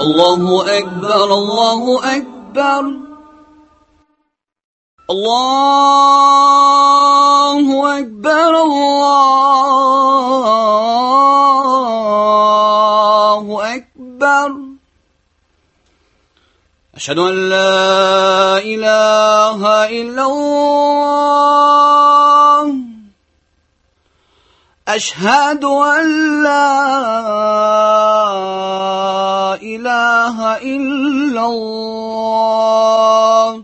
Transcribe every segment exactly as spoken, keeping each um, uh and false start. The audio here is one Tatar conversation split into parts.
الله أكبر الله أكبر الله أكبر الله أكبر أشهد أن لا إله إلا الله أشهد أن لا إله إلا الله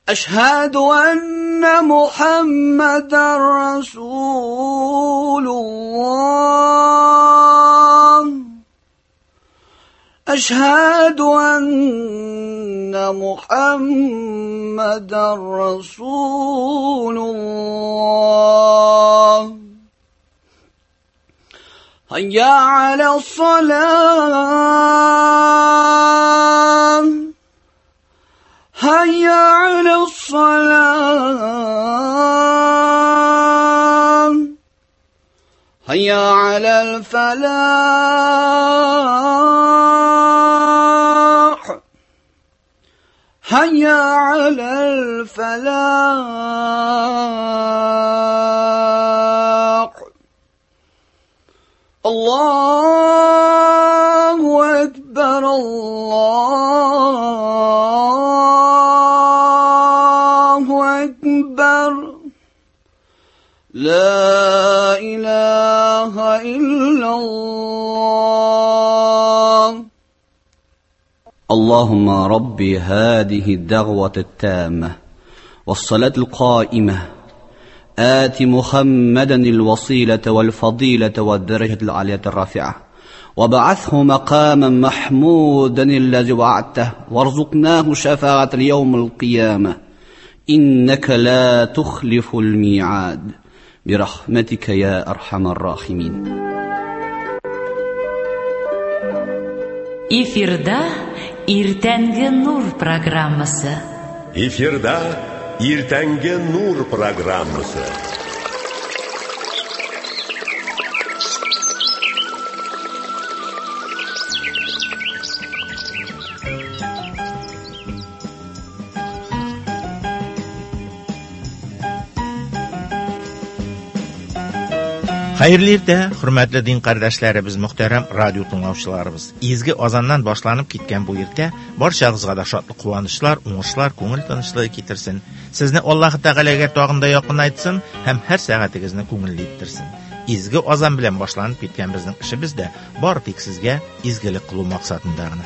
أشهد أن محمدا رسول الله أشهد أن محمدا رسول الله هيا على الصلاة هيا على الصلاة هيا على الفلاح هيا على الفلاح الله أكبر الله أكبر لا إله إلا الله اللهم ربي هذه الدعوة التامة والصلاة القائمة آت محمدا الوسيلة والفضيلة والدرجة العالية الرافعة وبعثه مقاما محمودا الذي وعدته وارزقناه شفاعة اليوم القيامة إنك لا تخلف الميعاد برحمتك يا أرحم الراحمين. Эфирда Иртәнге Нур программасы. Эфирда Иртәнге Нур программасы. Хәерле иртә, хөрмәтле дин кардәшләребез, мөхтәрәм радио тыңлаучыларыбыз. Изге азаннан башланып киткән бу иртә барчагызга да шатлык, куанычлар, уңышлар, күңел тынычлыгы китерсен. Сезне Аллаһ Тәгаләгә тагын да якынайтсын һәм һәр сәгатегезне күңелле иттерсен. Изге азан белән башланып киткән безнең эшебез дә бар тик сезгә изгелек кылу максатында гына.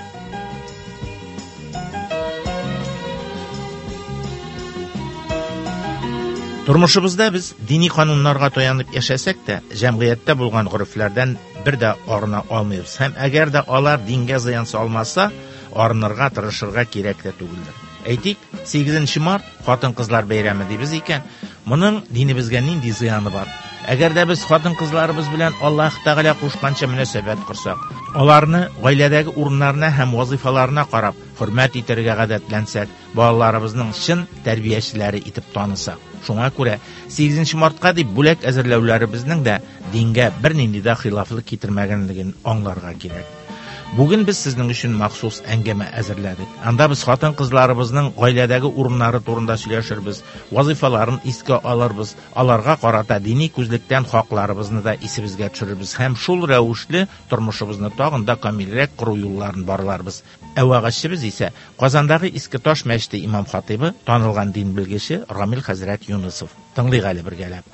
Тормышыбызда без дини кануннарга таянып яшәсәк тә, җәмгыятьтә булган горефләрдән бер дә арына алмыйбыз. Һәм әгәр дә алар дингә зыян салмаса, арынырга тырышырга кирәк тә түгелдер. Әйтик, сигезенче март хатын-кызлар бәйрәме дибез икән, моның динебезгә нинди зыяны бар? Әгәр дә без хатын-кызларыбыз белән Аллаһ Тәгалә кушканча мөнәсәбәт корсак, аларны гаиләдәге урыннарына һәм вазифаларына карап хөрмәт итәргә гадәтләнсәк, балаларыбызның чын тәрбиячеләре итеп танысак. Шуңа күрә сигезенче мартка дип бүләк әзерләүләребезнең дә дингә бернинди дә хилафлык китермәгәнлеген аңларга кирәк. Бүген без сезнең өчен махсус әңгәмә әзерләдек. Анда без хатын-кызларыбызның гаиләдәге урыннары турында сөйләшербез, вазифаларын искә алырбыз, аларга карата дини күзлектән хакларыбызны да исебезгә төшерербез һәм шул рәвешле тормышыбызны тагын да камилрәк кору юлларын барларбыз. Ә вәгазьчебез исә Казандагы Иске Таш мәчете имам хатибы, танылган дин белгече Рамил хәзрәт Юнысов. Тыңлыйк әле бергәләп.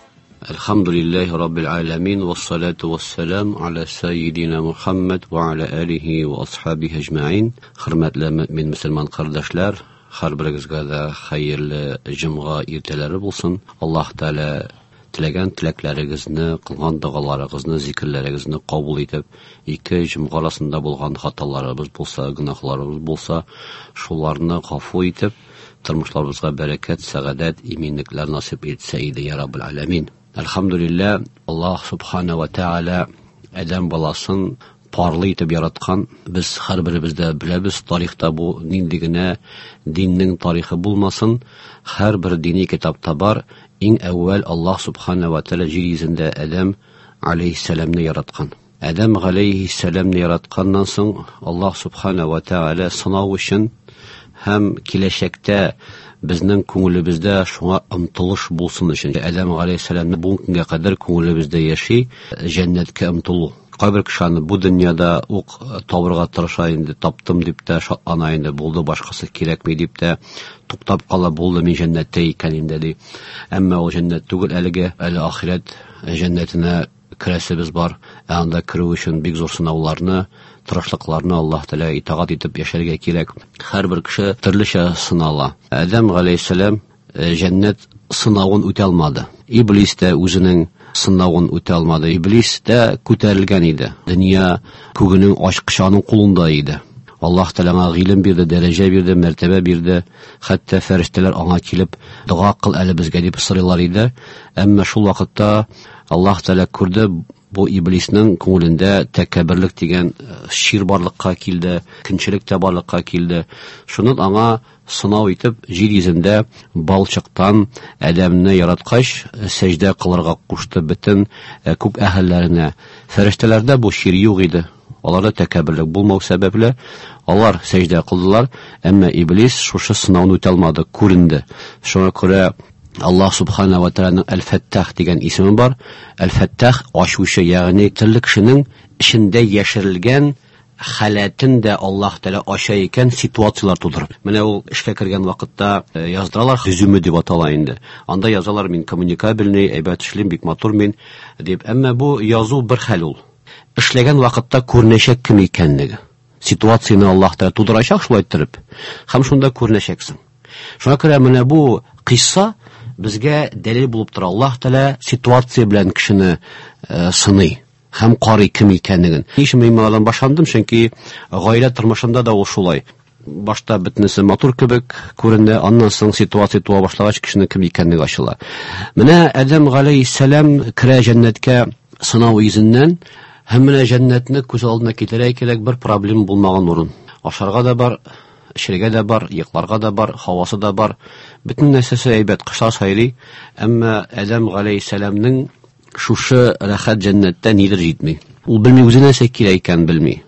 الحمد لله رب العالمين والصلاة والسلام على سيدنا Muhammad ve ala alihi ve ashabihi ecmaîn. Hürmetli mümin Müslüman kardeşler, her biringizga da hayırlı cum'a ertalari bo'lsin. Alloh taolo tilagan tilaklaringizni, qilgan duolaringizni, zikrlaringizni qabul etib, ikki jum'a orasida bo'lgan xatolarimiz bo'lsa, gunohlarimiz bo'lsa, shularni g'afu etib, turmushlarimizga barakat, saodat, eminliklar nasib etsa edi ya Rabbil alamin. Elhamdülillah, Allah subhanahu ve teala Adam balasın parlı etip yaratkan. Biz her birimizde bilemiz, tarixda bu nindigine dinning tarixi bulmasın. Her bir dini kitapta bar. En evvel Allah subhanahu ve teala yer yüzünde Adam aleyhisselamni yaratkan. Адәм галәйһиссәламны яратканнан соң Аллаһ субхана ва тааля сынау өчен һәм киләчәктә безнең күңелебездә шуңа омтылыш булсын өчен Адәм галәйһиссәламны бу көнгә кадәр күңелебездә яши җәннәткә омтылу. Кайбер кеше аны бу дөньяда ук табырга тырыша инде, таптым дип тә шатлана инде, булды, башкасы кирәкми дип тә туктап кала, булды, мин җәннәттә икән инде ди. Әмма ул җәннәт түгел әлегә, әле ахирәт җәннәтенә керәсебез бар. Ә анда керү өчен бик зур сынауларны, тырышлыкларны Аллаһ Тәгалә итагать итеп яшәргә кирәк. Һәрбер кеше төрлечә сынала. Адәм галәйһиссәлам җәннәт сынавын үтә алмады. Иблис тә үзенең сынавын үтә алмады. Иблис тә күтәрелгән иде. Дөнья күгенең ачкычы аның кулында иде. Аллаһ Тәгалә аңа гыйлем бирде, дәрәҗә бирде, мәртәбә бирде. Хәтта фәрештәләр аңа килеп, дога кыл әле безгә дип сорыйлар иде. Әмма шул вакытта Аллаһ Тәгалә күрде, бу иблиснең күңелендә тәкәбберлек дигән шир барлыкка килде, көнчелек тә барлыкка килде. Шуннан аңа сынау итеп җир йөзендә балчыктан Адәмне яраткач, сәҗдә кылырга кушты бөтен күк әһелләренә. Фәрештәләрдә бу шир юк иде. Аларда тәкәбберлек булмау сәбәпле алар сәҗдә кылдылар, әмма иблис шушы сынауны үтә алмады, күренде. Шуңа күрә Аллаһ субхана ва тааляның Әл-Фәттах дигән исеме бар. Әл-Фәттах ачучы, ягъни төрле кешенең эчендә яшерелгән халәтен дә Аллаһ Тәгалә ача икән ситуацияләр тудырып. Менә ул эшкә кергән вакытта яздыралар, резюме дип атала инде. Анда язалар, мин коммуникабельный, әйбәт эшлим, бик матур мин дип. Әмма бу язу бер хәл ул. Эшләгән вакытта күренәчәк кем икәнлеге. Ситуацияне Аллаһ Тәгалә тудырачак шулай иттереп, һәм шунда күренәчәксең. Шуңа күрә менә бу кыйсса безгә дәлил булып тора. Аллаһ Тәгалә ситуация белән кешене сыный һәм карый кем икәнлеген. Ни өчен мин моңардан башландым? Чөнки гаилә тормышында да ул шулай. Башта бөтенесе матур кебек күренә, аннан соң ситуация туа башлагач, кешенең кем икәнлеге ачыла. Менә Адәм галәйһиссәлам керә җәннәткә сынау йөзеннән, һәм менә җәннәтне күз алдына китерә кирәк, бер проблема булмаган урын. Ашарга да бар, эчәргә дә бар, йокларга да бар, һавасы да бар. Бөтен нәрсәсе әйбәт, кошлар сайрый. Әмма Адәм галәйһиссәламнең шушы рәхәт җәннәттә нидер җитми. Ул белми үзе нәрсә кирәк икәнен белми.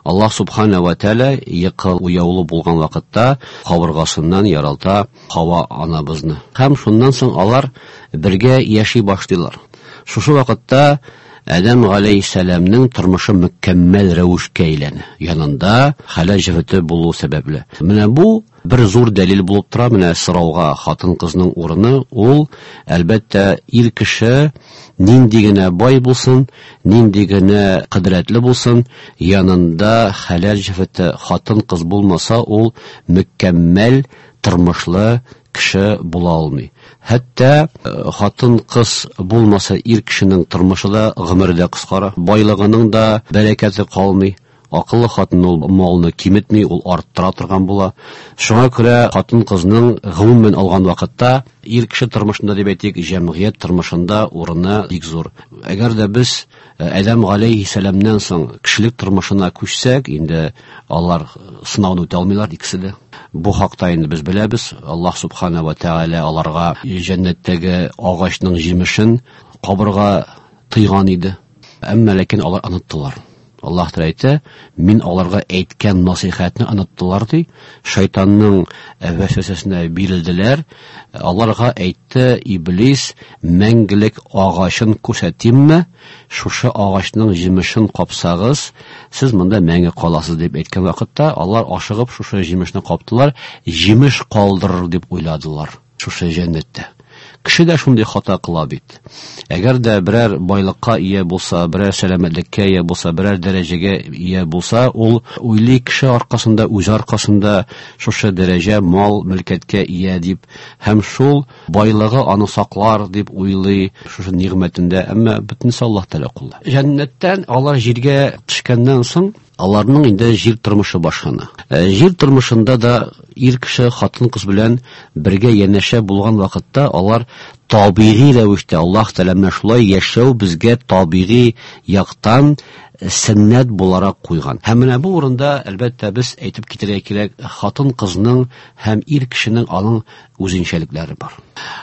Аллаһ субхана ва тааля йокы уяулы булган вакытта кабыргасыннан яралта Хава анабызны. Һәм шуннан соң алар бергә яши башлыйлар. Шушы вакытта Адәм галәйһиссәламнең тормышы мөкәммәл рәвешкә әйләнә. Янында хәләл җефете булу сәбәпле. Менә бу бер зур дәлил булып тора. Менә сорауга хатын-кызның урыны ул, әлбәттә, ир кеше нинди генә бай булсын, нинди генә кодрәтле булсын, янында хәләл җефете хатын-кыз булмаса, ул мөкәммәл тормышлы кеше була алмый. Хәтта хатын-кыз булмаса, ир кешенең тормышы да, гомере дә кыскара, байлыгының да бәрәкәте калмый. Акыллы хатын ул малны киметми, ул арттыра торган була. Шуңа күрә хатын-кызның гомумән алган вакытта ир кеше тормышында дип әйтик, җәмгыять тормышында урыны бик зур. Әгәр дә без Адәм галәйһиссәламнән соң кешелек тормышына күчсәк, инде алар сынауны үтә алмыйлар икесе дә. Бу хакта инде без беләбез. Аллаһ субхана ва тааля аларга җәннәттәге агачның җимешен кабырга тыйган иде. Әмма ләкин алар оныттылар. Аллаһ Тәгалә әйтә, мин аларга әйткән насыйхәтне оныттылар ди. Шайтанның вәсвәсәсенә бирелделәр. Аларга әйтте Иблис, мәңгелек агачын күрсәтимме? Шушы агачның җимешен капсагыз, сез монда мәңге каласыз дип әйткән вакытта, алар ашыгып шушы җимешне каптылар, җимеш калдырыр дип уйладылар шушы җәннәттә. Кеше дә шундый хата кыла бит. Әгәр дә берәр байлыкка ия булса, берәр сәламәтлеккә ия булса, берәр дәрәҗәгә ия булса, ул уйлый кеше аркасында, үзе аркасында шушы дәрәҗә, мал, мөлкәткә ия дип, һәм шул байлыгы аны саклар дип уйлый шушы нигъмәтендә. Әмма бөтенесе Аллаһ Тәгалә кулында. Җәннәттән алар җиргә төшкәннән соң аларның инде җир тормышы башлана. Җир тормышында да ир кеше хатын-кыз белән бергә янәшә булган вакытта алар табигый рәвештә Аллаһ Тәгалә менә шулай яшәү безгә табигый яктан сөннәт буларак куйган. Һәм менә бу урында әлбәттә без әйтеп китәргә кирәк, хатын-кызның һәм ир кешенең аның үзенчәлекләре бар.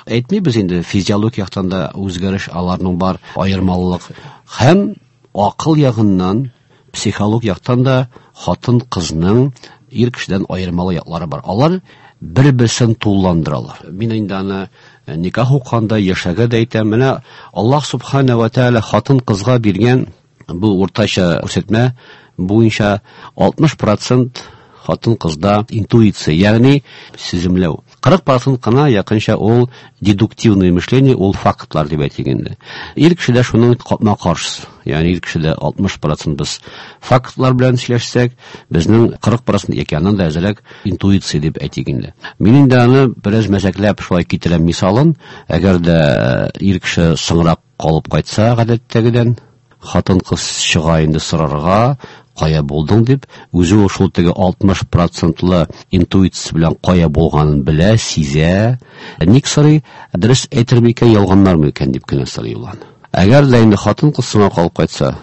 Әйтмибез инде физиологик яктан да үзгәреш аларның бар, аермалылык. Һәм Акыл ягыннан, психолог яктан да хатын-кызның ир кешедән аермалы яклары бар. Алар бер-берсен тулыландыралар. Мин инде аны никах укыганда яшәгә дә әйтәм. Менә Аллаһ субхана ва тааля хатын-кызга биргән бу уртача күрсәтмә буенча алтмыш процент хатын-кызда интуиция, ягъни сиземләү. Кырык процент кына якынча ул дедуктивное мышление, ул фактлар дип әйтик инде. Ир кешедә шуның капма-каршысы. Ягъни ир кешедә алтмыш процент без фактлар белән сөйләшсәк, безнең кырык процент яки аннан да әзрәк интуиция дип әйтик инде. Мин инде аны бераз мәзәкләп шулай китерәм мисалын. Әгәр дә ир кеше соңрак калып кайтса гадәттәгедән, хатын-кыз чыга инде сорарга, кая булдың дип, үзе ул шул теге алтмыш процентлы интуиция белән кая булганын белә, сизә. Ник сорый? Дөрес әйтер микән, ялганнар микән дип кенә сорый ул аны. Әгәр дә инде хатын-кыз соңга калып кайтса,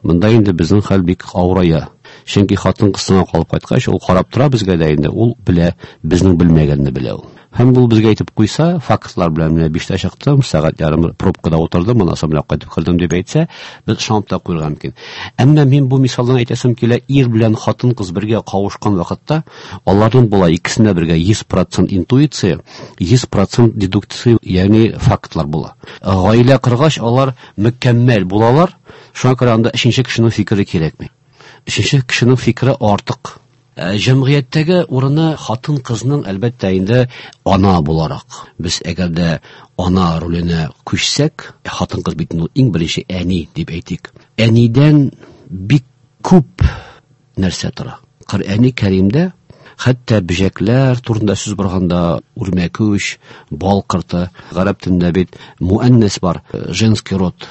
монда инде безнең хәл бик авырая. Чөнки хатын-кыз соңга калып кайткач, ул карап тора безгә дә инде, ул белә, безнең белмәгәнне белә ул. Һәм ул безгә әйтеп куйса, фактлар белән менә биштә чыктым, сәгать ярым пробкада утырдым, моннан соң менә кайтып кердем дип әйтсә, без ышанып та куярга мөмкин. Әмма мин бу мисалдан әйтәсем килә, ир белән хатын-кыз бергә кавышкан вакытта, аларның була икесендә бергә йөз процент интуиция, йөз процент дедукция, ягъни фактлар була. Гаилә коргач, алар мөкәммәл булалар, шуңа күрә анда өченче кешенең фикере кирәкми. Өченче кешенең фикере артык. Җәмгыятьтәге урыны хатын-кызның әлбәттә инде ана буларак. Без әгәр дә ана роленә күчсәк, хатын-кыз бит инде иң беренче әни дип әйтик. Әнидән бик күп нәрсә тора. Коръәни Кәримдә хәтта бөҗәкләр турында сүз барганда, үрмәкүч, бал корты, гарәп телендә бит муаннас бар, женский род.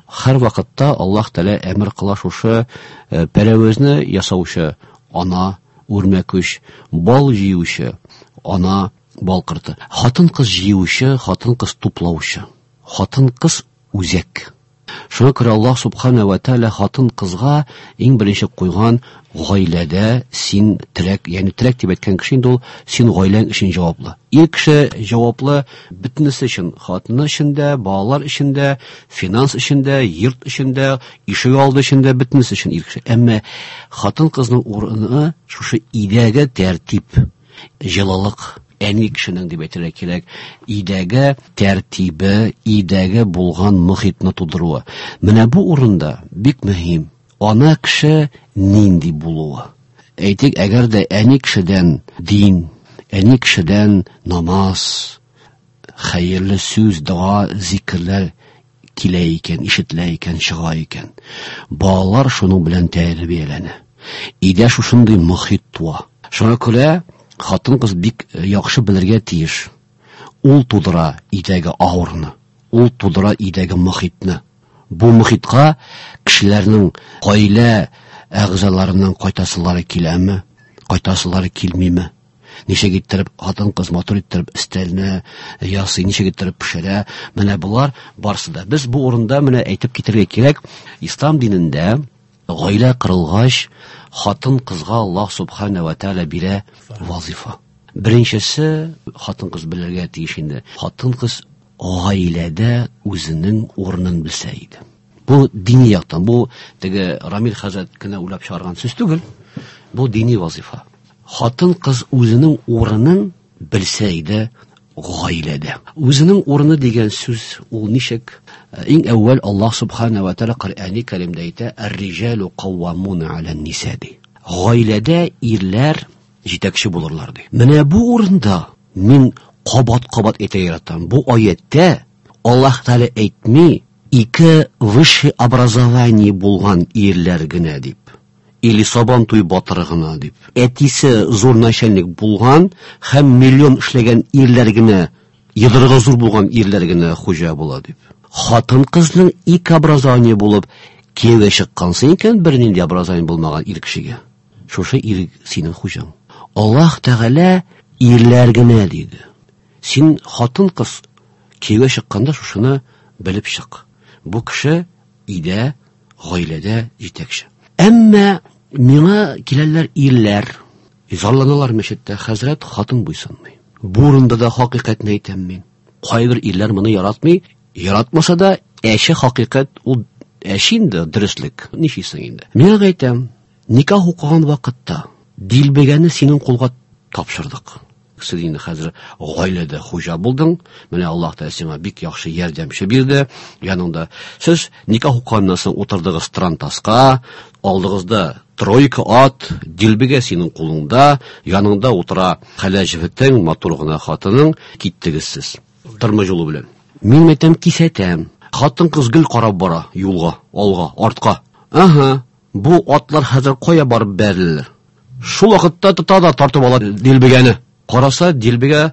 Һәр вакытта Аллаһ Тәгалә әмер кыла шушы пәрәвезне ясаучы ана, үрмәкүч, бал җыючы ана, бал корты. Хатын-кыз җыючы, хатын-кыз туплаучы. Хатын-кыз үзәк. Шуңа күрә Аллаһ субхана ва тааля хатын-кызга иң беренче куйган гаиләдә син терәк, ягъни терәк дип әйткән кеше инде ул син гаиләң өчен җаваплы. Ир кеше җаваплы бөтенесе өчен, хатыны өчен дә, балалар өчен дә, финанс өчен дә, йорт өчен дә, ишек алды өчен дә, бөтенесе өчен ир кеше. Әмма хатын-кызның урыны шушы өйдәге тәртип, җылылык. Әни кешенең дип әйтергә кирәк, өйдәге тәртибе, өйдәге булган мохитны тудыруы. Менә бу урында бик мөһим ана кеше нинди булуы. Әйтик, әгәр дә әни кешедән дин, әни кешедән намаз, хәерле сүз, дога, зикерләр килә икән, ишетелә икән, чыга икән, балалар шуның белән тәрбияләнә. Өйдә шушындый мохит туа. Шуңа күрә хатын-кыз бик яхшы белергә тиеш. Ул тудыра өйдәге авырны, ул тудыра өйдәге мохитны. Бу мохитка кешеләрнең гаилә әгъзаларының кайтасылары киләме, кайтасылары килмиме? Ничек иттереп хатын-кыз матур иттереп өстәлне ясый, ничек иттереп пешерә? Менә болар барсы да. Без бу урында менә әйтеп китәргә кирәк, ислам динендә гаилә кырылгач, хатын-кызга Аллаһ субхана ва тааля бирә вазифа. Беренчесе, хатын-кыз белергә тиеш инде. Хатын-кыз гаиләдә үзенең урынын белсә иде. Бу дини яктан, бу теге Рамил хәзрәт кенә уйлап чыгарган сүз түгел. Бу дини вазифа. Хатын-кыз үзенең урынын белсә иде гаиләдә. Үзенең урыны дигән сүз ул ничек? Иң әүвәл Аллаһ субхана ва тааля Коръәни Кәримдә әйтә: "Ар-риҗалу каввамуна аля-н-ниса" ди. Гаиләдә ирләр җитәкче булырлар ди. Менә бу урында мин кабат-кабат әйтә яратам. Бу аятта Аллаһ Тааля әйтми, ике высшее образование булган ирләр генә дип, или сабан туй батыры гына дип. Әтисе зур начальник булган һәм миллион эшләгән ирләр генә, йодрыгы зур булган ирләр генә хуҗа була дип. Хатын-кызның ике образование булып кияүгә чыккансың икән, бернинди образование булмаган ир кешегә, шушы ир синең хуҗаң. Аллаһ Тәгалә ирләр генә диде. Син хатын-кыз кияүгә чыкканда шушыны белеп чык. Бу кеше өйдә, гаиләдә җитәкче. Әмма миңа киләләр ирләр, зарланалар мәчеттә, хәзрәт хатын буйсынмый. Бу урында да хакыйкатьне әйтәм мин. Кайбер ирләр моны яратмый, яратмаса да әче хакыйкать ул Әче инде дөреслек. Нишисең инде? Мин әйтәм, никах укыган вакытта дилбегәне синең кулга тапшырдык. Син инде хәзер гаиләдә хуҗа булдың. Менә Аллаһ Тәгалә сиңа бик яхшы ярдәмче бирде. Яныңда сез никах укыганнан соң утырдыгыз трантаска, алдыгызда тройка ат, дилбегә синең кулыңда, яныңда утыра хәләл җефетең, матур гына хатының, киттегез сез. Тормыш юлы белән. Мин әйтәм, кисәтәм. Хатын-кыз гел карап бара юлга, алга, артка. Аһа, бу атлар хәзер кая барып бәрелер? Шул вакытта тота да тартып ала дилбегәне. Караса, дилбегә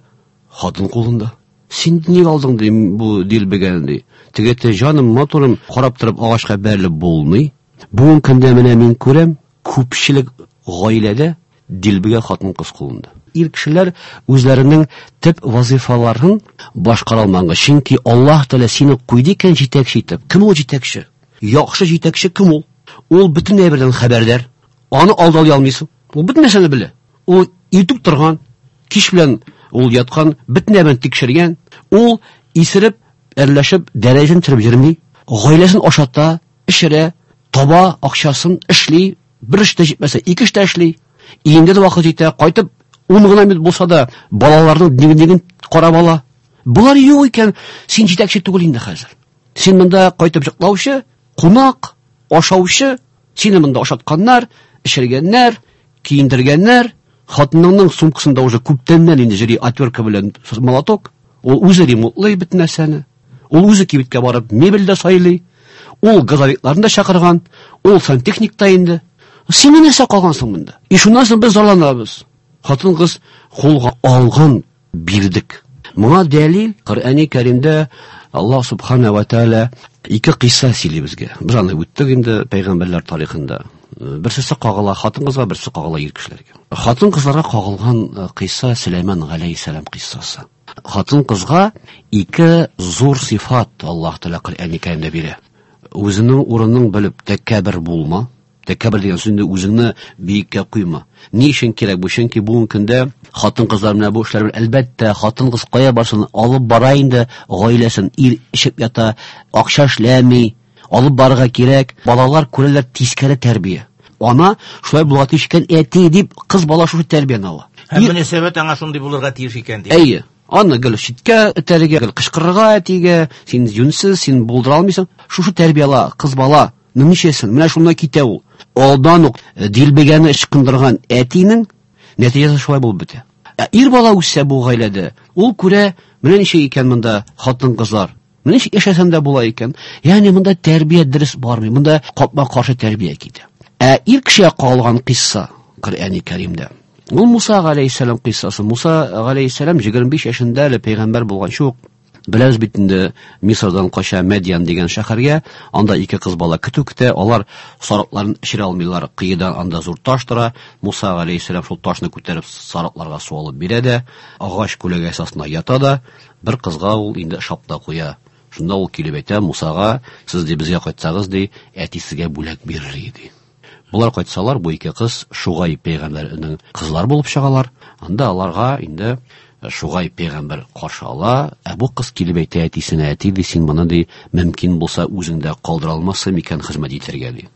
хатын кулында. Син ник алдың ди бу дилбегәне ди. Теге әйтә, җаным, матурым, карап торып агачка бәрелеп булмый. Бүгенге көндә менә мин күрәм, күпчелек гаиләдә дилбегә хатын-кыз кулында. Ир кешеләр үзләренең төп вазифаларын башкара алмаганга, чөнки Аллаһ Тәгалә сине куйды икән җитәкче итеп. Кем ул җитәкче? Яхшы җитәкче кем ул? Ул бөтен әйбердән хәбәрдар. Аны алдалый алмыйсың. Ул бөтен нәрсәне белә. Ул иртүк торган, кич белән ул яткан, бөтен әйберен тикшергән. Ул исереп, әрләшеп, дәрәҗәсен төшереп йөрми. Гаиләсен ашата, эчерә, таба акчасын, эшли, бер эштә җитмәсә, ике эштә эшли. Инде дә вакыт җитә, кайтып ун гына минут булса да балаларның дневнигын карап ала. Болар юк икән, син җитәкче түгел инде хәзер. Син монда кайтып йоклаучы, кунак, ашаучы, сине монда ашатканнар, эчергәннәр, киендергәннәр. Хатыныңның сумкасында уже күптәннән инде җөри отвертка белән молоток. Ул үзе ремонтлый бөтен нәрсәне. Ул үзе кибеткә барып мебель дә сайлый. Ул газовикларны да чакырган, ул сантехник та инде. Син нәрсә калгансың монда? И шуннан соң без зарланабыз. Хатын-кыз кулга алган бирдек. Моңа дәлил Коръәни Кәримдә Аллаһ субхана ва тааля ике кыйсса сөйли безгә. Без аны үттек инде пәйгамбәрләр тарихында. Берсесе кагыла хатын-кызга, берсе кагыла ир кешеләргә. Хатын-кызларга кагылган кыйсса Сөләйман галәйһиссәлам кыйссасы. Хатын-кызга ике зур сыйфат Аллаһ Тәгалә Коръәни Кәримдә бирә. Үзенең урынын белеп тәкәббер булма. Тәкәббер дигән сүз инде үзеңне биеккә куйма. Ни өчен кирәк бу? Чөнки бүгенге көндә хатын-кызлар менә бу эшләр белән, әлбәттә, хатын-кыз кая барсын алып бара инде гаиләсен, ир эчеп ята, акча эшләми, алып барырга кирәк. Балалар күрәләр тискәре тәрбия. Ана шулай булырга тиеш икән, әти дип кыз бала шушы тәрбияне ала. Һәм мөнәсәбәт аңа шундый булырга тиеш икән дип. Әйе. Аны гел читкә этәргә, гел кычкырырга әтигә, син юньсез, син булдыра алмыйсың. Шушы тәрбия ала кыз бала. Ничәсен? Менә шунда китә ул. Алдан ук дилбегәне ычкындырган әтинең нәтиҗәсе шулай булып бетә. Ә ир бала үсә бу гаиләдә, ул күрә, менә ничек икән монда хатын-кызлар. Менә ничек яшәсәм дә була икән. Ягъни монда тәрбия дөрес бармый, монда капма-каршы тәрбия китә. Ә ир кешегә калган кыйсса Коръәни Кәримдә. Ул Муса галәйһиссәлам кыйссасы. Муса галәйһиссәлам егерме биш яшендә әле пәйгамбәр булганчы ук беләбез бит инде, Мисырдан кача Мәдьян дигән шәһәргә, анда ике кыз бала көтү көтә, алар сарыкларын эчерә алмыйлар, кыедан анда зур таш тора. Муса галәйһиссәлам шул ташны күтәреп сарыкларга су алып бирә дә, агач күләгәсе астына ята да, бер кызга ул инде шапта куя. Шунда ул килеп әйтә Мусага, сез ди безгә кайтсагыз ди, әти сезгә бүләк бирер ди. Булар кайтсалар, бу ике кыз Шугай пәйгамбәрнең кызлары булып чыгалар. Анда аларга инде Шугай пәйгамбәр каршы ала. Ә бу кыз килеп әйтә әтисенә, әти ди, син моны ди, мөмкин булса үзең дә калдыра алмассың микән хезмәт итәргә ди.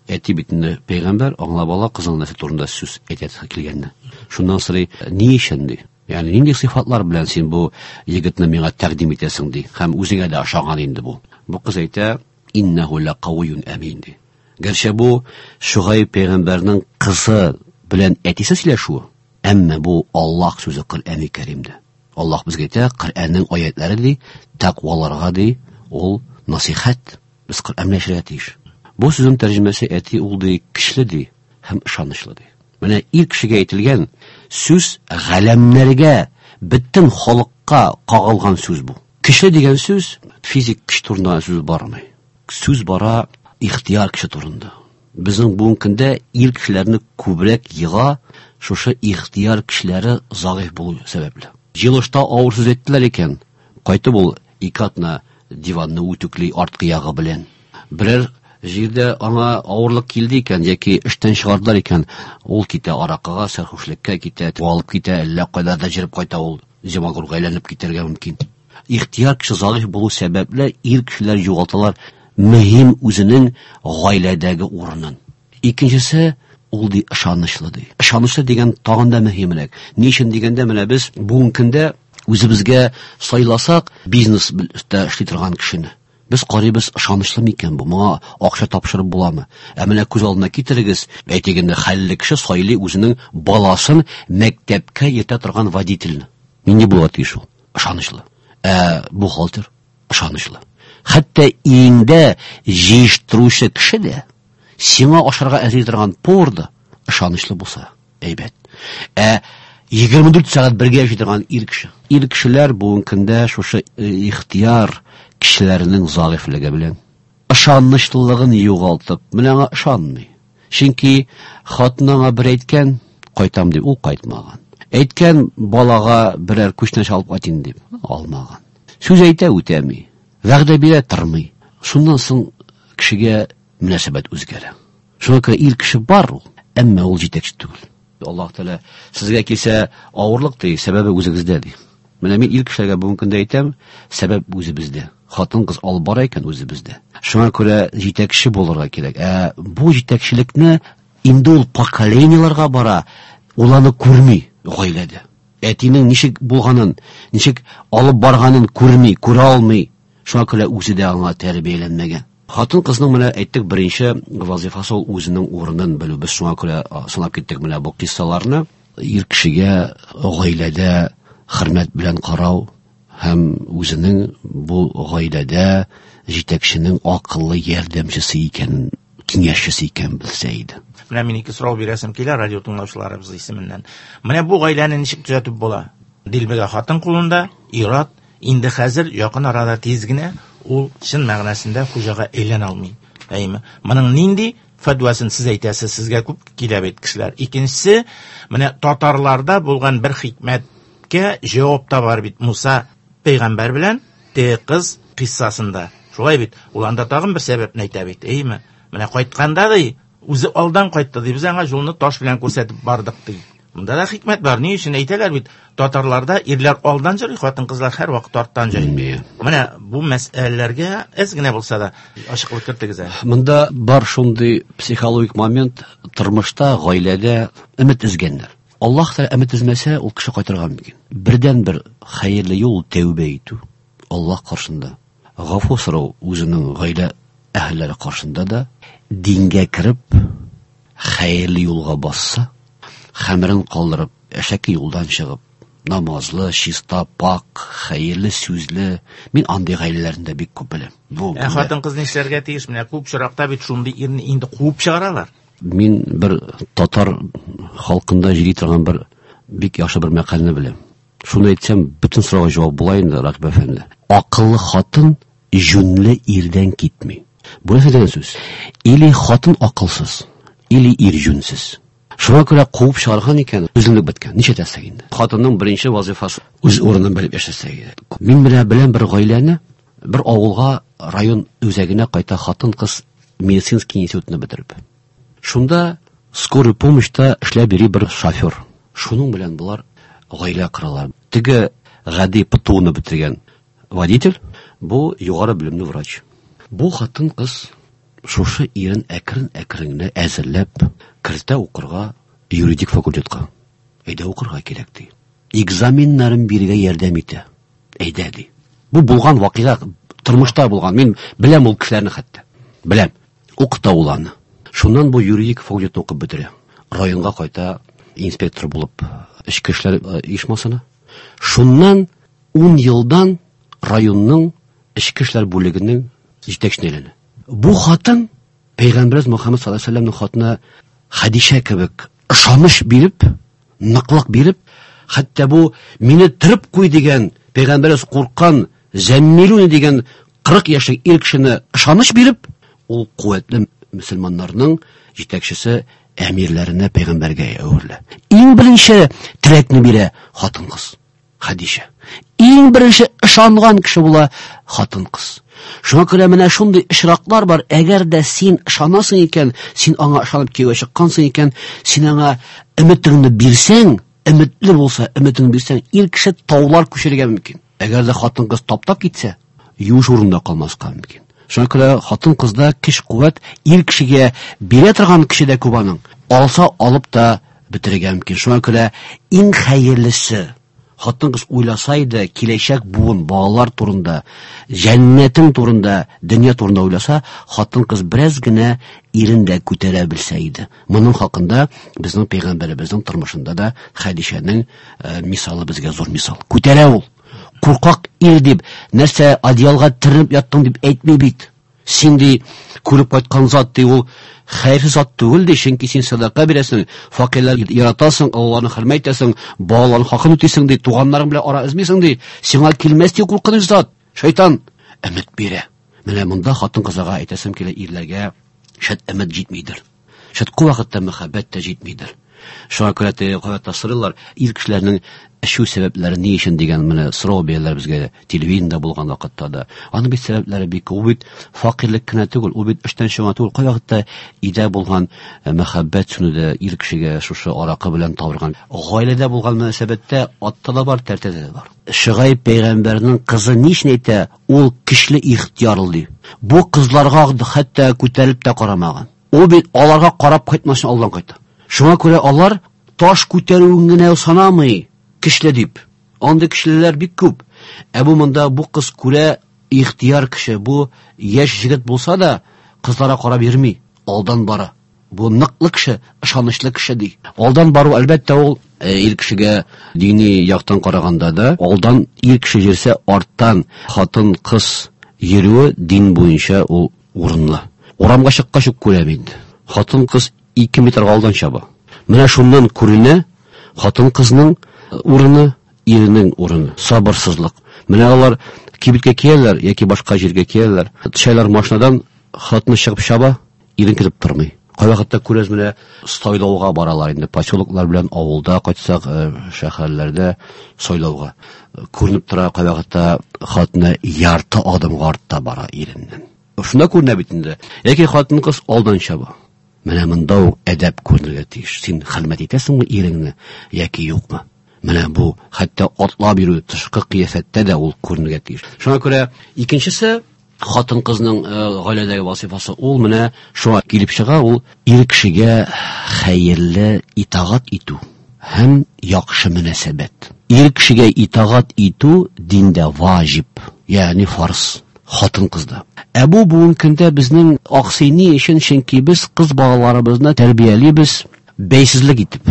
Әти бит инде пәйгамбәр аңлап ала кызының нәрсә турында сүз әйтәсе килгәнне. Шуннан сорый, ни өчен ди? Ягъни нинди сыйфатлар белән син бу егетне миңа тәкъдим итәсең ди. Һәм үзеңә дә ошаган инде бу. Бу кыз әйтә, иннәһу ләкавиюн амин ди. Гәрчә бу Шугай пәйгамбәрнең кызы белән әтисе сөйләшүе, әмма бу Аллаһ сүзе Коръәни Кәримдә. Аллаһ безгә әйтә, Коръәннең аятлары ди, тәкъваларга ди, ул насихәт. Без Коръән белән яшәргә тиеш. Бу сүзнең тәрҗемәсе әти ул ди, көчле ди һәм ышанычлы ди. Менә ир кешегә әйтелгән сүз галәмнәргә, бөтен халыкка кагылган сүз бу. Көчле дигән сүз физик көч турында сүз бармый. Сүз бара ихтияр кеше турында. Безнең бүгенге көндә ир кешеләрне күбрәк ега шушы ихтияр кешеләре зәгыйфь булу сәбәпле. Җыелышта авыр сүз әйттеләр икән, кайтып ул ике атна диванны үтүкли арткы ягы белән. Берәр җирдә аңа авырлык килде икән яки эштән чыгардылар икән, ул китә аракыга, сәрхүшлеккә китә, алып китә, әллә кайда да җырып кайта ул, зимагурга әйләнеп китәргә мөмкин. Ихтияр кеше зәгыйфь булу сәбәпле ир кешеләр югалталар мөһим үзенең гаиләдәге урынын. Икенчесе ул ди ышанычлы ди. Ышанычлы дигән тагын да мөһимрәк. Ни өчен дигәндә, менә без бүгенге көндә үзебезгә сайласак бизнеста эшли торган кешене, без карыйбыз, ышанычлы микән бу, моңа акча тапшырып буламы? Ә менә күз алдына китерегез, әйтик инде, хәлле кеше сайлый үзенең баласын мәктәпкә йөртә торган водительне. Нинди була тиеш ул? Ышанычлы. Ә бухгалтер ышанычлы. Хәтта өеңдә җыештыручы кеше дә, сиңа ашарга әзерли торган повар да ышанычлы булса, әйбәт. Ә егерме дүрт сәгать бергә яши торган ир кеше. Ир кешеләр бүгенге көндә шушы ихтияр кешеләренең зәгыйфьлеге белән ышанычлылыгын югалтып, менә аңа ышанмый. Чөнки хатын аңа бер әйткән, кайтам дип, ул кайтмаган. Әйткән, балага берәр күчтәнәч алып кайтын дип, алмаган. Сүз әйтә, үтәми. Вәгъдә бирә, тормый. Шуннан соң кешегә мөнәсәбәт үзгәрә. Шуңа күрә ир кеше бар ул, әмма ул җитәкче түгел. Аллаһ Тәгалә сезгә килсә авырлык ди, сәбәбе үзегездә ди. Менә мин ир кешеләргә бүгенге көндә әйтәм, сәбәп үзебездә. Хатын-кыз алып бара икән үзебездә. Шуңа күрә җитәкче булырга кирәк. Ә бу җитәкчелекне инде ул поколениеләргә бара, ул аны күрми гаиләдә. Әтинең ничек булганын, ничек алып барганын күрми, күрә алмый. Шуңа күрә үзе дә аңа тәрбияләнмәгән. Хатын-кызның менә әйттек, беренче вазифасы ул үзенең урынын белү. Без шуңа күрә санап киттек менә бу киссаларны. Ир кешегә гаиләдә хөрмәт белән карау һәм үзенең бу гаиләдә җитәкченең акыллы ярдәмчесе икәнен, киңәшчесе икәнен белсә иде. Менә мин ике сорау бирәсем килә радио тыңлаучыларыбыз исеменнән. Менә бу гаиләне ничек төзәтеп була? Дилбегә хатын кулында, ир-ат инде хәзер якын арада тиз генә ул чын мәгънәсендә хуҗага әйләнә алмый. Әйме? Моның нинди фәтвасын сез әйтәсез, сезгә күп килә бит кешеләр. Икенчесе, менә татарларда булган бер хикмәткә җавап та бар бит Муса пәйгамбәр белән теге кыз кыйссасында. Шулай бит, ул анда тагын бер сәбәпне әйтә бит, әйме? Менә кайтканда ди, үзе алдан кайтты ди, без аңа юлны таш белән күрсәтеп бардык ди. Монда да хикмәт бар. Ни өчен әйтәләр бит, татарларда ирләр алдан йөри, хатын-кызлар һәр вакыт арттан йөри. Менә бу мәсьәләләргә әз генә булса да ачыклык кертегез әле. Монда бар шундый психологик момент, тормышта, гаиләдә өмет өзгәннәр. Аллаһ Тәгалә өмет өзмәсә, ул кеше кайтырга мөмкин. Бердән-бер хәерле юл тәүбә итү Аллаһ каршында. Гафу сорау үзенең гаилә әһелләре каршында да, дингә кереп, хәерле юлга басса, хәмерен калдырып, әшәке юлдан чыгып, намазлы, чиста, пак, хәерле сүзле. Мин андый гаиләләрне дә бик күп беләм. Бу Ә хатын-кыз нишләргә тиеш? Менә күп очракта бит шундый ирне инде куып чыгаралар. Мин бер татар халкында җыри торган бер бик яхшы бер мәкальне беләм. Шуны әйтсәм, бөтен сорауга җавап була инде, Рәкыйп әфәнде. Акыллы хатын җүнле ирдән китми. Бу нәрсә дигән сүз? Или хатын акылсыз, или ир җүнсез. Шуңа күрә куып чыгарган икән, үзенлек беткән. Нишләтәсең инде? Хатынның беренче вазифасы үз урынын белеп яшәсә иде. Мин менә беләм бер гаиләне, бер авылга, район үзәгенә кайта хатын-кыз медицинский институтны бетереп. Шунда скорый помощьта эшләп йөри бер шофер. Шуның белән болар гаилә коралар. Теге гади ПТУны бетергән водитель, бу югары белемле врач. Бу хатын-кыз шушы ирен әкрен-әкрен генә әзерләп кертә укырга юридик факультетка. Әйдә укырга кирәк ди. Экзаменнарын бирергә ярдәм итә. Әйдә ди. Бу булган вакыйга, тормышта булган. Мин беләм ул кешеләрне хәтта. Беләм. Укыта ул аны. Шуннан бу юридик факультетны укып бетерә. Районга кайта инспектор булып эчке эшләр оешмасына. Шуннан ун елдан районның эчке эшләр бүлегенең җитәкчесенә әйләнә. Бу хатын Пәйгамбәребез Мөхәммәд саллаллаһу алейһи ва сәлләмнең хатыны Хәдичә кебек ышаныч биреп, ныклык биреп, хәтта бу мине төреп куй дигән Пәйгамбәребез курккан Зәммилүне дигән кырык яшьлек ир кешене ышаныч биреп, ул куәтле мөселманнарның җитәкчесе әмирләренә пәйгамбәргә әверелә. Иң беренче терәкне бирә хатын-кыз Хәдичә. Иң беренче ышанган кеше була хатын-кыз. Шуңа күрә менә шундый очраклар бар. Әгәр дә син ышанасың икән, син аңа ышанып кияүгә чыккансың икән, син аңа өметеңне бирсәң, өметле булса, өметеңне бирсәң, ир кеше таулар күчерергә мөмкин. Әгәр дә хатын-кыз таптап китсә, юеш урында калмаска мөмкин. Шуңа күрә хатын-кызда көч-куәт ир кешегә бирә торган кеше дә күп аның. Алса алып та бетерергә мөмкин. Шуңа күрә иң хәерлесе хатын-кыз уйласа иде киләчәк буын балалар турында, җәннәтең турында, дөнья турында уйласа, хатын-кыз бераз генә ирен дә күтәрә белсә иде. Моның хакында безнең пәйгамбәребезнең тормышында да Хәдичәнең э, мисалы безгә зур мисал. Күтәрә ул. Куркак ир дип, нәрсә одеялга төренеп яттың дип әйтми бит. Син ди күреп кайткан зат ди ул хәерсез зат түгел ди, чөнки син садака бирәсең, фәкыйрьләрне яратасың, аларны хөрмәт итәсең, балаларның хакын үтисең ди, туганнарың белән ара өзмисең ди. Сиңа килмәс ди куркыныч зат. Шайтан өмет бирә. Менә монда хатын-кызларга әйтәсем килә, ирләргә шәт өмет җитмидер. Шәт күп вакытта мәхәббәт тә җитмидер. Шуңа күрә теге кайвакытта сорыйлар, ир кешеләрнең эчү сәбәпләре ни өчен дигән менә сорау бирәләр безгә телевидениедә булган вакытта да. Аның бит сәбәпләре бик күп. Ул бит фәкыйрьлек кенә түгел, ул бит эштән чыгу түгел. Кайвакытта өйдә булган мәхәббәт сүнү дә ир кешегә шушы аракы белән табырган. Гаиләдә булган мөнәсәбәттә атта да бар, тәртәдә дә бар. Шыгай пәйгамбәрнең кызы ни өчен әйтә, ул көчле ихтиярлы ди. Бу кызларга хәтта күтәрелеп тә карамаган. Ул бит аларга карап кайтмасын алдан кайта. Шуңа күрә алар таш күтәрүен генә санамый көчле дип. Андый көчлеләр бик күп. Ә бу монда бу кыз күрә ихтияр кеше, бу яшь җегет булса да кызларга карап йөрми, алдан бара. Бу ныклы кеше, ышанычлы кеше ди. Алдан бару әлбәттә ул ир кешегә дини яктан караганда да, алдан ир кеше йөрсә, арттан хатын кыз йөрүе дин буенча ул урынлы. Урамга чыккач ук күрәм инде. Хатын кыз ике метрга алдан чаба. Менә шуннан күренә хатын-кызның урыны, иренең урыны, сабырсызлык. Менә алар кибеткә киләләр яки башка җиргә киләләр. Төшәләр машинадан, хатыны чыгып чаба, ирен көтеп тормый. Кайвакытта күрәз менә сайлауга баралар инде, поселоклар белән авылда кайтсак, шәһәрләрдә сайлауга. Күренеп тора кайвакытта хатыны ярты адымга артта бара иреннән. Шунда күренә бит инде. Яки хатын-кыз алдан чаба. Менә монда ук әдәп күренергә тиеш. Син хөрмәт итәсеңме иреңне яки юкмы? Менә бу хәтта атлап йөрү тышкы кыяфәттә дә ул күренергә тиеш. Шуңа күрә икенчесе хатын-кызның гаиләдәге вазифасы ул менә шуңа килеп чыга, ул ир кешегә хәерле итагать итү һәм яхшы мөнәсәбәт. Ир кешегә итагать итү диндә ваҗиб, ягъни фарз. Хатын-кызда. Ә бу бүгенге көндә безнең аксый ни өчен? Чөнки без кыз балаларыбызны тәрбиялибез бәйсезлек итеп.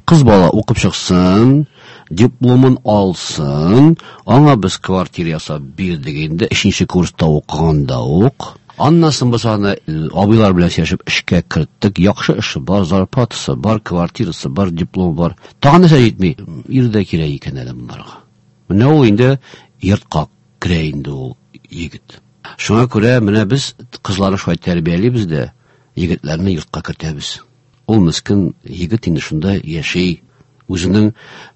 Кыз бала укып чыксын, дипломын алсын, аңа без квартира ясап бирдек инде, өченче курста укыганда ук. Аннан соң без аны абыйлар белән сөйләшеп эшкә керттек. Яхшы эше бар, зарплатасы бар, квартирасы бар, дипломы бар. Тагын нәрсә җитми? Ир дә кирәк икән әле монларга. Менә ул инде йортка керә инде ул егет. Шуңа күрә менә без кызларны шулай тәрбиялибез дә, егетләрне йортка кертәбез. Ул мескен егет инде шунда яши, үзенең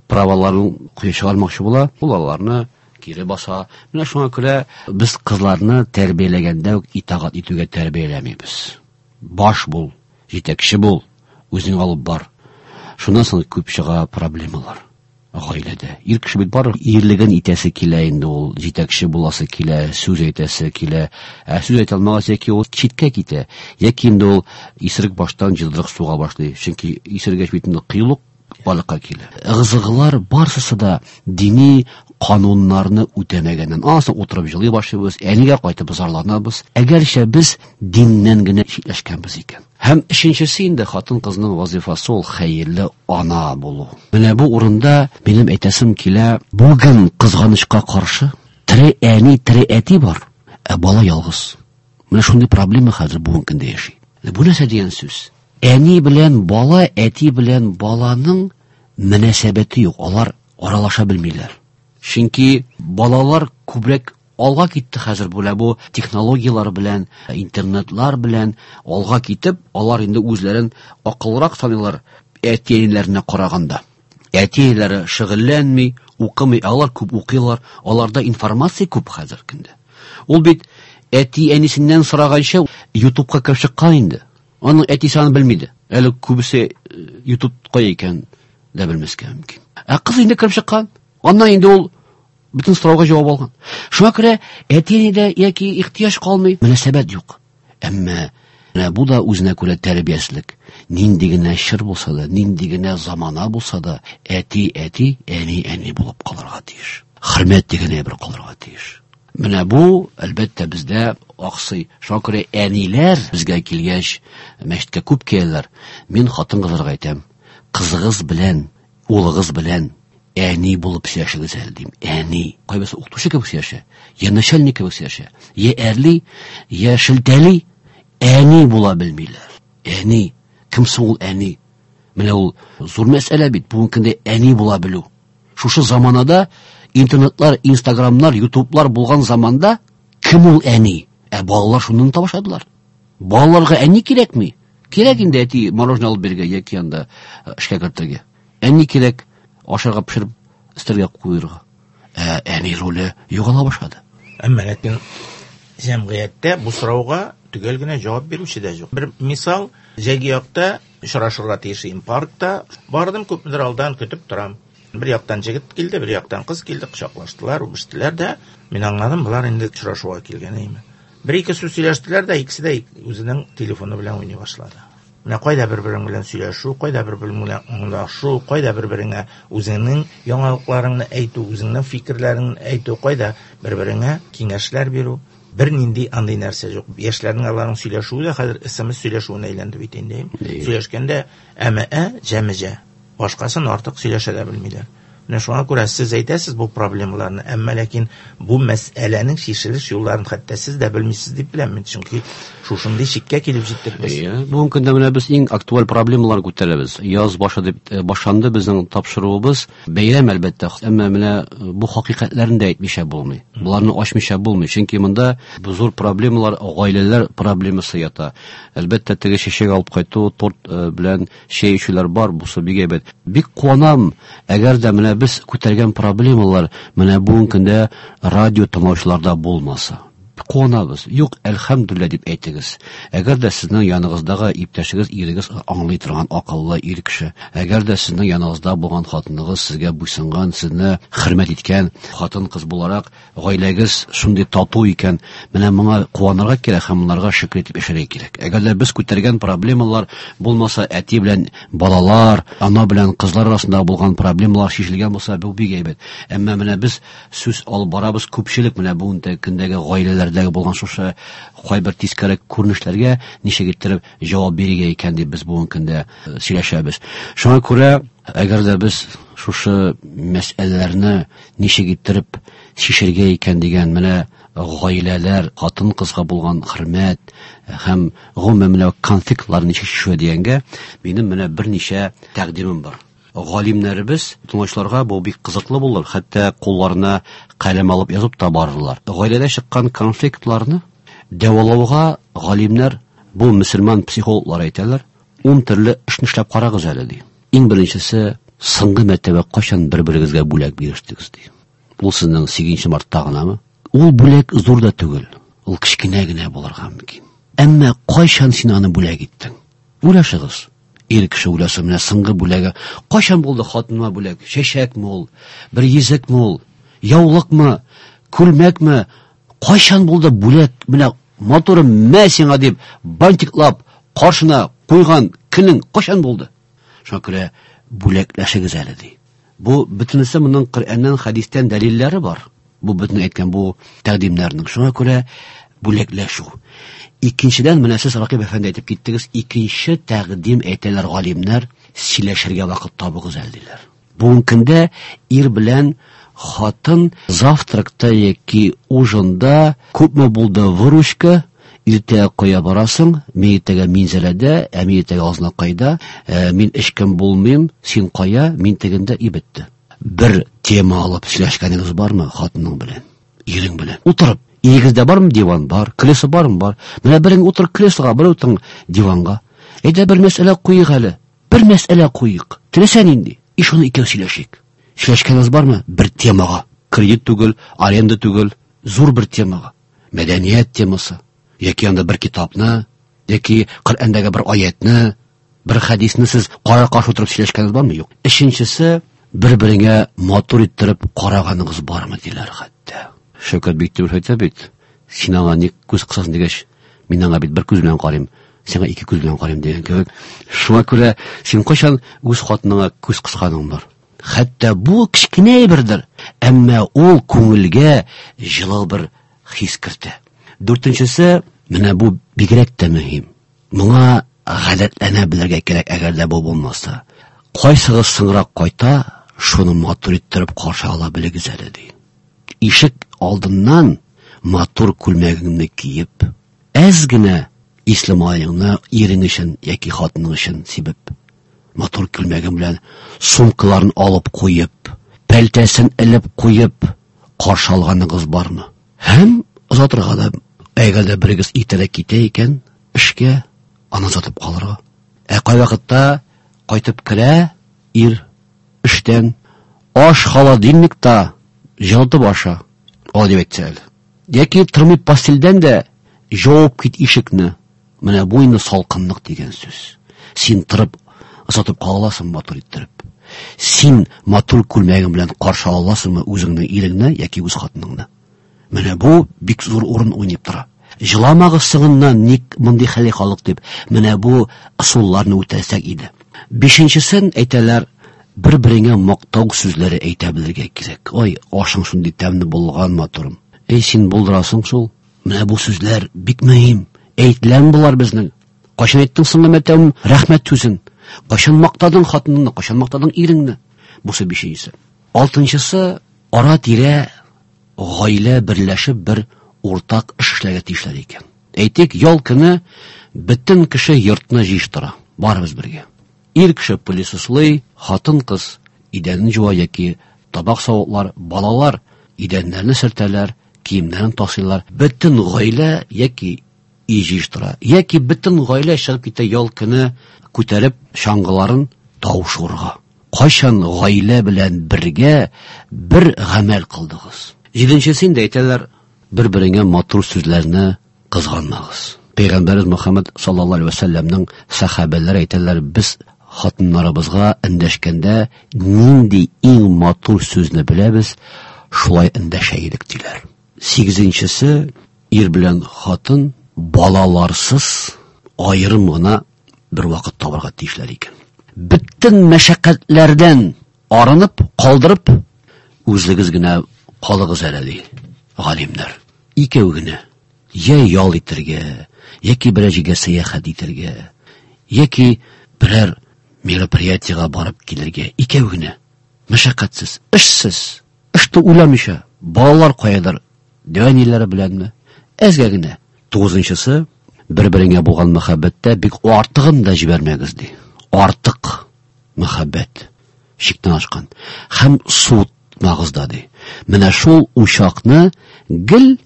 праваларын чыгармакчы була, ул аларны кире баса. Менә шуңа күрә без кызларны тәрбияләгәндә үк итагать итүгә тәрбияләмибез. Баш бул, җитәкче бул, үзең алып бар. Шуннан соң күп чыга проблемалар гаиләдә. Ир кеше бит бар ирлеген итәсе килә инде ул, җитәкче буласы килә, сүз әйтәсе килә. Ә сүз әйтә алмагач, яки ул читкә китә, яки инде ул исерек баштан җылдырык суга башлый. Чөнки исергәч бит инде кыюлык барлыкка килә. Ыгы-зыгылар барысы да дини кануннарны үтәмәгәннән. Аннан утырып җылый башлыйбыз, әнигә кайтып зарланабыз. Әгәрчә без диннән генә читләшкәнбез икән. Һәм өченчесе инде хатын-кызның вазифасы ул хәерле ана булу. Менә бу урында минем әйтәсем килә, бүген кызганычка каршы тере әни, тере әти бар, ә бала ялгыз. Менә шундый проблема хәзер бүгенге көндә яши. Бу нәрсә дигән сүз? Әни белән бала, әти белән баланың мөнәсәбәте юк, алар аралаша белмиләр. Чөнки балалар күбрәк алга китте хәзер бу, бу технологияләр белән, интернетлар белән алга китеп, алар инде үзләрен акыллырак саныйлар әти-әниләренә караганда. Әти-әниләре шөгыльләнми, укымый, алар күп укыйлар, аларда информация күп хәзер көндә. Ул бит әти-әнисеннән сораганча YouTube'ка кереп чыккан инде. Аның әтисе аны белми дә. Әле күбесе YouTube кая икән дә белмәскә мөмкин. Ә кыз инде кереп чыккан. Аннан инде ул Бөтен сорауга җавап алган. Шуңа күрә әти-әнидә яки ихтыяҗ калмый, мөнәсәбәт юк. Әмма менә бу да үзенә күрә тәрбиясезлек. Нинди генә чор булса да, нинди генә замана булса да, әти әти, әни әни булып калырга тиеш. Хөрмәт дигән әйбер калырга тиеш. Менә бу, әлбәттә, бездә аксый. Шуңа күрә әниләр безгә килгәч, мәчеткә күп киләләр. Мин хатын-кызларга әйтәм, кызыгыз белән, улыгыз белән әни булып сөйләшегез әле дим. Әни. Кайберсе укытучы кебек сөйләшә, я начальник кебек сөйләшә, я әрли, я шелтәли. Әни була белмиләр. Әни. Кем соң ул әни? Менә ул зур мәсьәлә бит. Бүгенге көндә әни була белү. Шушы заманада интернетлар, инстаграмнар, ютублар булган заманда кем ул әни? Ә балалар шуннан таба башладылар. Балаларга әни кирәкми. Кирәк инде әти мороженое алып бирергә яки анда эшкә кертергә. Әни кирәк ашарга пешереп өстәлгә куерга. Ә әни роле югала башлады. Әмма ләкин җәмгыятьтә бу сорауга төгәл генә җавап бирүче дә юк. Бер мисал, җәйге якта очрашырга тиеш идем паркта. Бардым, күпмедер алдан көтеп торам. Бер яктан җегет килде, бер яктан кыз килде, кочаклаштылар, үбештеләр дә. Мин аңладым, болар инде очрашуга килгән име. Бер ике сүз сөйләштеләр дә, икесе дә үзенең телефоны белән уйный башлады. Менә кайда бер-берең белән сөйләшү, кайда бер-берең белән аңлашу, кайда бер-береңә үзеңнең яңалыкларыңны әйтү, үзеңнең фикерләреңне әйтү, кайда бер-береңә киңәшләр бирү. Бер нинди андый нәрсә юк. Яшьләрнең аларның сөйләшүе дә хәзер эс эм эс сөйләшүенә әйләнде бит инде. Сөйләшкәндә әмә-ә, җәмә-җә. Башкасын артык сөйләшә дә белмиләр. Менә шуңа күрә сез әйтәсез бу проблемаларны, әмма ләкин бу мәсьәләнең чишелеш юлларын хәтта сез дә белмисез дип беләм мин, чөнки шушындый чиккә килеп җиттек без. Әйе, бүгенге көндә менә без иң актуаль проблемаларны күтәрәбез. Яз башы дип, э, башланды безнең тапшыруыбыз. Бәйрәм әлбәттә, әмма менә бу хакыйкатьләрне дә әйтмичә булмый. Буларны ачмыйча булмый, чөнки монда бу зур проблемалар, гаиләләр проблемасы ята. Әлбәттә, теге чәчәк алып кайту, торт, э, белән чәй эчүләр бар, бусы бик әйбәт. Бик куанам, әгәр дә менә без күтәргән проблемалар менә бүгенге көндә радио тыңлаучыларда булмаса. Куанабыз. Юк, әлхәмдүлилләһ дип әйтегез. Әгәр дә сезнең яныгыздагы иптәшегез, ирегез аңлый торган акыллы ир кеше, әгәр дә сезнең яныгызда булган хатыныгыз сезгә буйсынган, сезне хөрмәт иткән хатын-кыз буларак, гаиләгез шундый тату икән, менә моңа куанырга кирәк һәм моңарга шөкер итеп яшәргә кирәк. Әгәр дә без күтәргән проблемалар булмаса, әти белән балалар, ана белән кызлар арасында булган проблемалар чишелгән булса, бу бик әйбәт. Әмма менә без сүз алып барабыз, күпчелек менә бүгенге көндәге гаиләләрдәге булган шушы кайбер тискәре күренешләргә ничек иттереп җавап бирергә икән дип без бүгенге көндә, э, сөйләшәбез. Шуңа күрә, әгәр дә без шушы мәсьәләләрне ничек иттереп чишергә икән дигән менә гаиләләр, хатын-кызга булган хөрмәт һәм гомумән менә конфликтларны ничек чишү дигәнгә минем менә берничә тәкъдимем бар. Галимнәребез тыңлаучыларга бу бик кызыклы булыр, хәтта кулларына каләм алып язып та барырлар. Гаиләдә чыккан конфликтларны дәвалауга галимнәр, бу мөселман психологлар әйтәләр, ун төрле эшне эшләп карагыз әле ди. Иң беренчесе, соңгы мәртәбә кайчан бер-берегезгә бүләк бирештегез ди. Ул сезнең сигезенче мартта гынамы? Ул бүләк зур да түгел, ул кечкенә генә булырга мөмкин. Әмма кайчан син аны бүләк иттең? Уйлашыгыз. Ир кеше уйласа, менә соңгы бүләге кайчан булды хатыныма бүләк? Чәчәкме ул? Бер йөзекме ул? Яулыкмы? Күлмәкме? Кайчан булды бүләк? Менә матурым, мә сиңа дип бантиклап каршына куйган көнең кайчан булды? Шуңа күрә бүләкләшегез әле ди. Бу бөтенесе моның Коръәннән, хәдистән дәлилләре бар. Бу бөтен әйткән бу тәкъдимнәрнең. Шуңа күрә бүләкләшү. Икенчедән, менә сез Ракыйп әфәнде әйтеп киттегез, икенче тәкъдим әйтәләр галимнәр, сөйләшергә вакыт табыгыз әле диләр. Бүгенге көндә ир белән хатын завтракта яки ужинда күпме булды выручка, иртә кая барасың, мин иртәгә Минзәләдә, ә мин иртәгә Азнакайда, ә, мин эшкем булмыйм, син кая, мин тегендә, и бетте. Бер тема алып сөйләшкәнегез бармы хатының белән, ирең белән? Утырып, өегездә бармы диван? Бар. Кресло бармы? Бар. Менә берең утыр креслога, бер утыр диванга. Әйдә бер мәсьәлә куйык әле. Бер мәсьәлә куйык. Теләсә нинди. И шуны икәү сөйләшик. Сөйләшкәнегез бармы? Бер темага. Кредит түгел, аренда түгел, зур бер темага. Мәдәният темасы. Яки анда бер китапны, яки Коръәндәге бер аятны, бер хәдисне сез кара-каршы утырып сөйләшкәнегез бармы? Юк. Өченчесе, Бер-береңә матур иттереп караганыгыз бармы диләр хәтта. Шәүкәт Биктимеров әйтә бит, син аңа ник күз кысасың дигәч, мин аңа бит бер күз белән карыйм, сиңа ике күз белән карыйм дигән кебек. Шуңа күрә син кайчан үз хатыныңа күз кысканың бар? Хәтта бу кечкенә бердер, әмма ул күңелгә җылы бер хис кертә. Дүртенчесе, менә бу бигрәк тә мөһим. Моңа гадәтләнә белергә кирәк, әгәр дә бу булмаса. Кайсыгыз соңрак кайта, шуны матур иттереп каршы ала белегез әле, ди. Ишек алдыннан матур күлмәгеңне киеп, әз генә исле маеңны ирең өчен яки хатының өчен сибеп, матур күлмәгең белән сумкаларын алып куеп, пәлтәсен элеп куеп каршы алганыгыз бармы? Һәм озатырга да, әгәр дә берегез иртәрәк китә икән эшкә, аны озатып калырга. Ә кайвакытта кайтып керә ир эштән, аш холодильникта җылытып аша, алай дип әйтсә әле. Яки тормый постельдән дә җавып кит ишекне. Менә бу инде салкынлык дигән сүз. Син торып озатып кала аласың матур иттереп. Син матур күлмәгең белән каршы ала аласыңмы үзеңнең иреңне яки үз хатыныңны? Менә бу бик зур урын уйнап тора. Җыламагыз соңыннан ник мондый хәлгә калдык дип, менә бу ысулларны үтәсәк иде. Бишенчесен әйтәләр, бер-береңә мактау сүзләре әйтә белергә кирәк. Ой, ашың шундый тәмле булган, матурым. Эй, син булдырасың шул. Менә бу сүзләр бик мөһим. Әйтеләме болар безнең? Кайчан әйттең соңгы мәртәбә рәхмәт сүзен? Кайчан мактадың хатыныңны, кайчан мактадың иреңне? Бусы бишенчесе. Алтынчысы, ара-тирә гаилә берләшеп бер уртак эш эшләргә тиешләр икән. Әйтик, ял көне бөтен кеше йортны җыештыра, барыбыз бергә. Ир кеше пылесослый, хатын-кыз идәнне җуа яки табак савытлар, балалар идәннәрне сөртәләр, киемнәрен тасыйлар. Бөтен гаилә яки өй җыештыра, яки бөтен гаилә чыгып китә ял көне күтәреп чаңгыларын тау шуырга. Кайчан гаилә белән бергә бер гамәл кылдыгыз? Җиденчесе инде әйтәләр, бер-береңә матур сүзләрне кызганмагыз. Пәйгамбәребез Мөхәммәд саллаллаһу алейһи ва сәлләмнең сәхабәләре әйтәләр, без хатыннарыбызга эндәшкәндә нинди иң матур сүзне беләбез, шулай эндәшә идек диләр. Сигезенчесе, ир белән хатын балаларсыз аерым гына бер вакыт табарга тиешләр икән. Бөтен мәшәкатьләрдән арынып, калдырып, үзегез генә калыгыз әле, ди галимнәр. Икәү генә. Я ял итәргә, яки берәр җиргә сәяхәт итәргә, яки берәр мероприятиега барып килергә. Икәү генә. Мәшәкатьсез, эшсез, эште уйламыйча, балалар каядыр, дәү беләнме? Әзгә генә. Тугызынчысы, бер-береңә булган мәхәббәттә бик артыгын да җибәрмәгез, ди. Артык мәхәббәт чиктән ашкан. Һәм суытмагыз да, ди. Менә шул учакны гел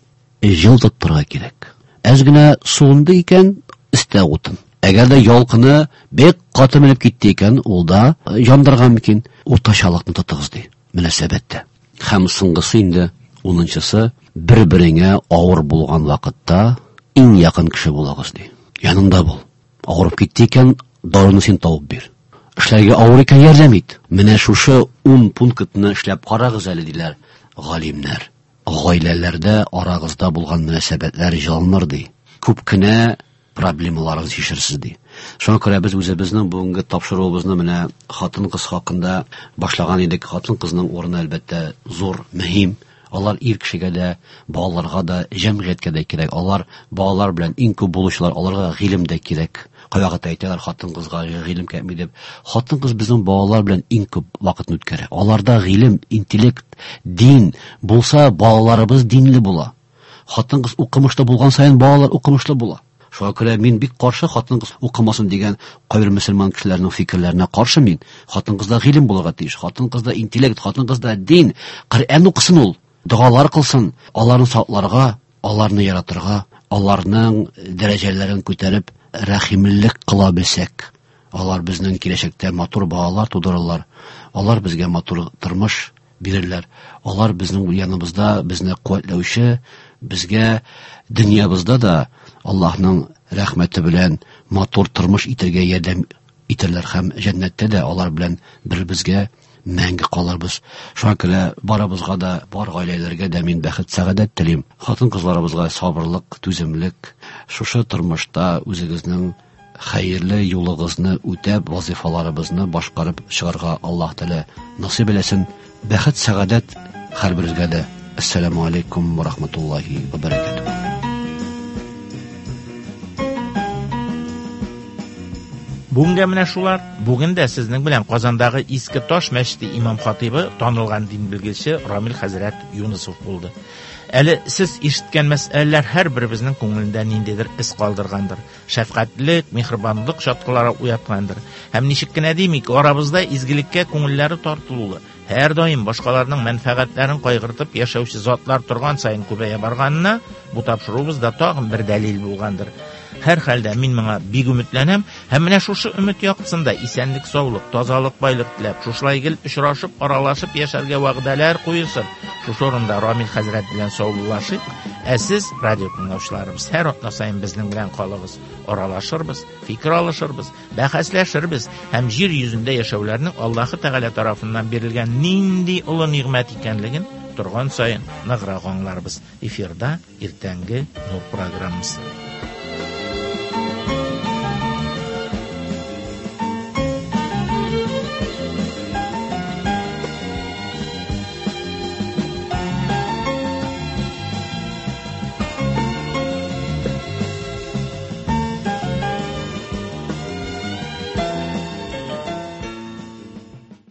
җылытып торырга кирәк. Әз генә суынды икән, өстә утын. Әгәр дә ялкыны бик каты менеп китте икән, ул да яндырган мөмкин. Уртачалыкны тотыгыз, ди, мөнәсәбәттә. Һәм соңгысы инде, унынчысы, бер-береңә авыр булган вакытта иң якын кеше булыгыз, ди. Янында бул. Авырып китте икән, даруны син табып бир. Эшләргә авыр икән, ярдәм ит. Менә шушы ун пунктны эшләп карагыз әле, диләр галимнәр. Гаиләләрдә арагызда булган мөнәсәбәтләр җылыныр, ди. Күп кенә проблемаларыгыз чишерсез, ди. Шуңа күрә без үзебезнең бүгенге тапшыруыбызны менә хатын-кыз хакында башлаган идек. Хатын-кызның урыны әлбәттә зур, мөһим. Алар ир кешегә дә, балаларга да, җәмгыятькә дә кирәк. Алар балалар белән иң күп булучылар, аларга гыйлем дә кирәк. Кайвакытта әйтәләр, хатын-кызга гыйлем кирәкми дип. Хатын-кыз безнең балалар белән иң күп вакытны үткәрә. Аларда гыйлем, интеллект, дин булса, балаларыбыз динле була. Хатын-кыз укымышлы булган саен балалар укымышлы була. Шуңа күрә мин бик каршы хатын-кыз укымасын дигән кайбер мөселман кешеләренең фикерләренә каршы мин. Хатын-кызда гыйлем булырга тиеш, хатын-кызда интеллект, хатын-кызда дин, Коръән укысын ул, догалар кылсын, аларны сакларга, аларны яратырга, аларның дәрәҗәләрен күтәреп рәхимлелек кыла белсәк, алар безнең киләчәктә матур балалар тудырырлар, алар безгә матур тормыш бирерләр, алар безнең яныбызда безне куәтләүче, безгә дөньябызда да Аллаһның рәхмәте белән матур тормыш итәргә ярдәм итәрләр һәм җәннәттә дә алар белән бер безгә мәңге калырбыз. Шуңа күрә барыбызга да, бар гаиләләргә дә мин бәхет, сәгадәт телим. Хатын-кызларыбызга сабырлык, түземлек, шушы тормышта үзегезнең хәерле юлыгызны үтәп, вазифаларыбызны башкарып чыгарга Аллаһ Тәгалә насыйп әйләсен. Бәхет, сәгадәт һәрберегезгә дә. Ассаламу алейкум ва рахматуллахи ва баракатуһ. Бүгенгә менә шулар. Бүген дә сезнең белән Казандагы Иске Таш мәчете имам хатибы, танылган дин белгече Рамил хәзрәт Юнысов булды. Әле сез ишеткән мәсьәләләр һәрберебезнең күңелендә ниндидер эз калдыргандыр. Шәфкатьлек, миһербанлык чаткылары уяткандыр. Һәм ничек кенә димик, арабызда изгелеккә күңелләре тартылулы, һәр даим башкаларның мәнфәгатьләрен кайгыртып яшәүче затлар торган саен күбәя барганына бу тапшыруыбыз да тагын бер дәлил булгандыр. Һәр хәлдә мин моңа бик өметләнәм һәм менә шушы өмет яктысында исәнлек, саулык, тазалык, байлык теләп, шушылай гел очрашып, аралашып яшәргә вәгъдәләр куелсын. Шушы урында Рамил хәзрәт белән саубуллашыйк. Ә сез, радио тыңлаучыларыбыз, һәр атна саен безнең белән калыгыз. Аралашырбыз, фикер алышырбыз, бәхәсләшербез һәм җир йөзендә яшәүләрнең Аллаһы Тәгалә тарафыннан бирелгән нинди олы нигъмәт икәнлеген торган саен ныграк аңларбыз. Эфирда иртәнге Нур программасы.